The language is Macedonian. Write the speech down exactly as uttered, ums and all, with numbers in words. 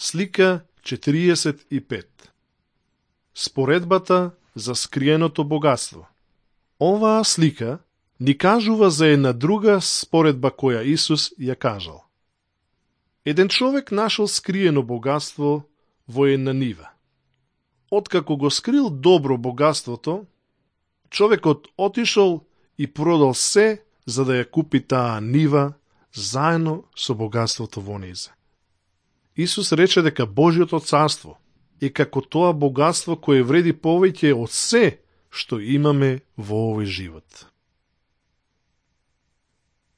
Слика четириесет и пет. Споредбата за скриеното богатство. Оваа слика ни кажува за една друга споредба која Исус ја кажал. Еден човек нашол скриено богатство во една нива. Откако го скрил добро богатството, човекот отишол и продал се за да ја купи таа нива заедно со богатството во низе. Исус рече дека Божјото царство е како тоа богатство кое вреди повеќе од се што имаме во овој живот.